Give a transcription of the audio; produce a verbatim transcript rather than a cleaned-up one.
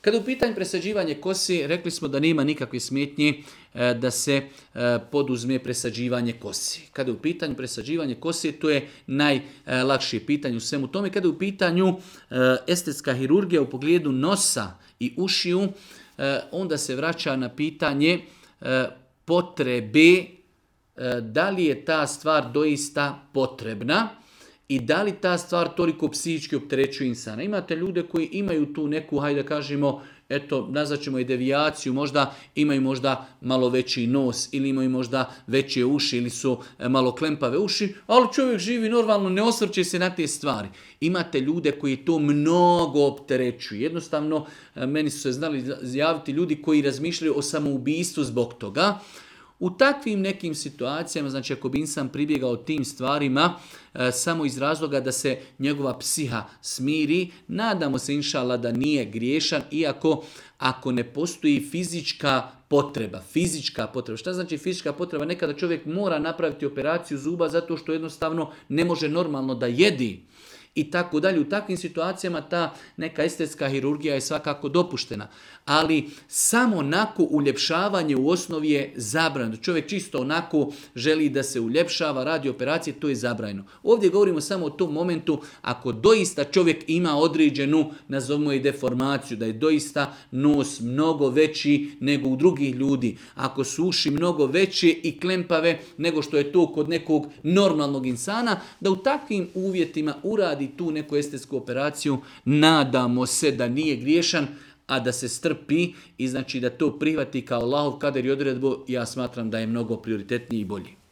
Kada u pitanju presađivanje kosi, rekli smo da nema nikakve smetnje da se poduzme presađivanje kosi. Kada je u pitanju presađivanje kosi, to je najlakše pitanje u svemu tome. Kada je u pitanju estetska hirurgija u pogledu nosa i ušiju, onda se vraća na pitanje potrebe, da li je ta stvar doista potrebna i da li ta stvar toliko psihički opterećuje insana. Imate ljude koji imaju tu neku, hajde da kažemo, eto, nazvaćemo je devijaciju, možda imaju možda malo veći nos ili imaju možda veće uši ili su malo klempave uši, ali čovjek živi normalno, ne osvrće se na te stvari. Imate ljude koji to mnogo opterećuju. Jednostavno, meni su se znali javiti ljudi koji razmišljaju o samoubistvu zbog toga. U takvim nekim situacijama, znači ako bi insan pribjegao tim stvarima e, samo iz razloga da se njegova psiha smiri, nadamo se inšala da nije griješan, iako ako ne postoji fizička potreba, fizička potreba. Šta znači fizička potreba? Nekada čovjek mora napraviti operaciju zuba zato što jednostavno ne može normalno da jedi. I tako dalje. U takvim situacijama ta neka estetska hirurgija je svakako dopuštena. Ali samo onako uljepšavanje u osnovi je zabranjeno. Čovjek čisto onako želi da se uljepšava, radi operacije, to je zabranjeno. Ovdje govorimo samo o tom momentu ako doista čovjek ima određenu, nazovimo je deformaciju, da je doista nos mnogo veći nego u drugih ljudi. Ako su uši mnogo veće i klempave nego što je to kod nekog normalnog insana, da u takvim uvjetima uradi tu neku estetsku operaciju, nadamo se da nije griješan, a da se strpi i znači da to prihvati kao Allahov kader i odredbu, ja smatram da je mnogo prioritetniji i bolji.